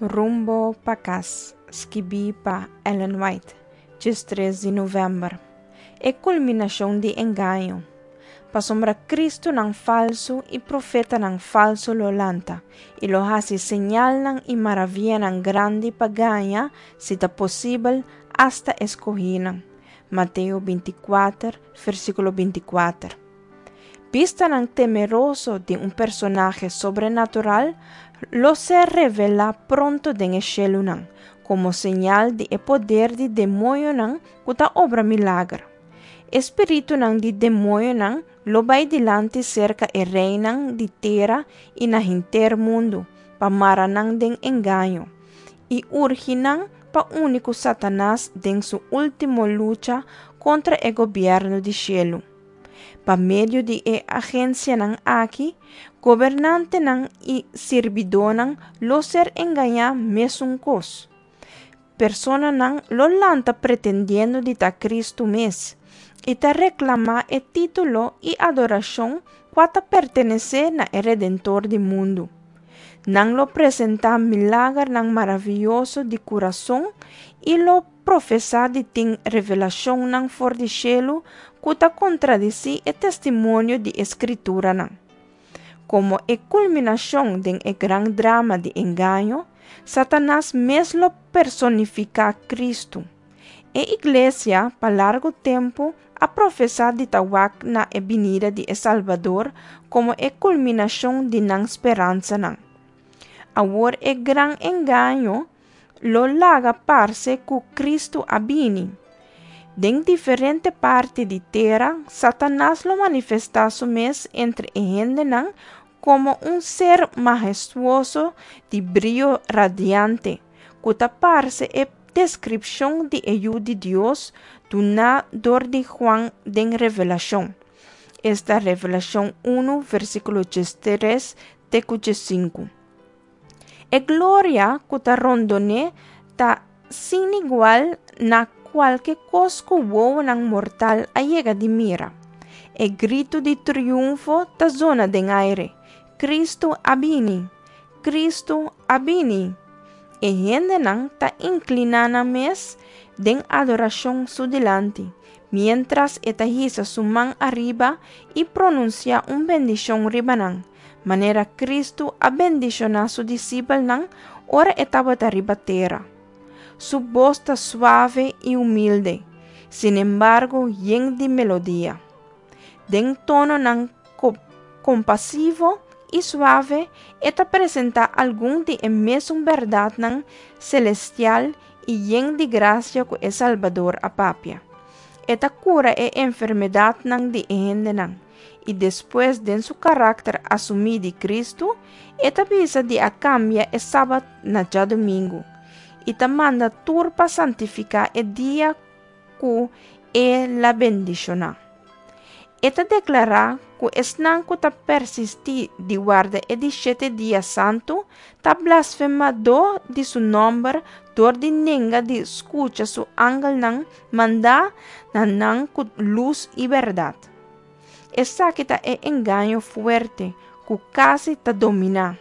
Rumbo pa Kas, skibí pa Ellen White, 13 di novèmber. E kulminashon di engaño. Pasobra Kristunan falsu i profetanan falsu lo lanta, i lo hasi señalnan i maravianan grandi pa gaña, si ta posibel, asta e skohínan. Mateo 24, versíkulo 24. Bistanan temeroso di un personahe sobrenatural lo ser revelá pronto den e shelunan, komo señal di e poder di demoñonan ku ta obra milager. E spiritunan di demoñonan lo bai dilanti serka e reinan di tera i na henter mundu pa mara nan den engaño i urgi nan pa uni ku Satanas den su último lucha kontra e gobièrnu di shelu. Pa medio di e agensianan aki, gobernantenan i sirbidónan lo ser engañá mesun kos. Personanan lo lanta pretendiendo di ta Kristu mes i ta reklamá e título i adorashon kua ta pertenesé na e Redentor di mundu. Nan lo presentá milagernan maravioso di kurason i lo profesá di tin revelashonnan for di shelu ku ta kontradisí e testimonio di e Skrituranan. Komo e kulminashon den e gran drama di engaño, Satanas mes lo personifiká Kristu. E iglesia pa largu tempu a profesá di ta wak na e binida di e Salbador komo e kulminashon di nan speransanan. Awor e gran engaño lo laga parse ku Kristu a bini. Den diferente parti di tera, Satanas lo manifestá su mes entre e hendenan komo un ser mahestuoso di brio radiante, ku ta parse e deskripshon di e Yu di Dios duná dor di Juan den Revelashon, esta Revelashon 1 versíkulo 13 te ku 15. E gloria ku ta rondon'é ta sin igual na kualke kos ku wowonan mortal a yega di mira. E gritu di triunfo ta zona den aire, Kristu a bini! Kristu a bini! E hendenan ta inkliná nan mes den adorashon su dilanti, miéntras e ta hisa su man ariba i pronunsiá un bendishon riba nan, manera Kristu a bendishoná su disipelnan ora e tabata riba tera. Su bos ta suave i humilde, sinembargo yen di melodia. Den tononan kompasivo i suave e ta presentá algun di e mesun bèrdatnan selestial i yen di grasia ku e Salbador a papia. E ta kura e enfermedatnan di e hendenan, i despues den su karakter asumí di Kristu, e ta bisa di a kambia e sabat na djadumingu, i ta manda tur pa santifiká e dia ku e la bendishoná. E ta deklará ku esnan ku ta persistí di warda e di shete dia santu ta blasfemadó di su nòmber dor di nenga di skucha su angelnan mandá na nan ku lus i bèrdat. Esaki ta e engaño fuerte ku kasi ta dominá.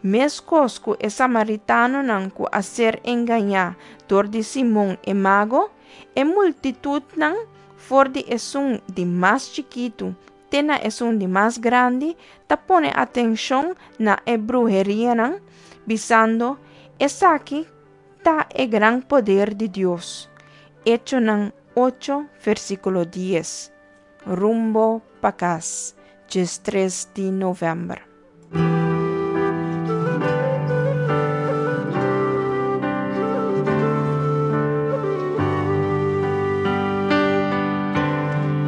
Meskos ku e samaritanonan ku a ser engañá dor di Simon e mago, e multitutnan, for di esun di mas chikitu te na esun di mas grandi, ta pone atenshon na e bruherianan, bisando, Esaki ta e gran poder di Dios. Echonan 8, versíkulo 10. Rumbo pa kas, 13 di novèmber.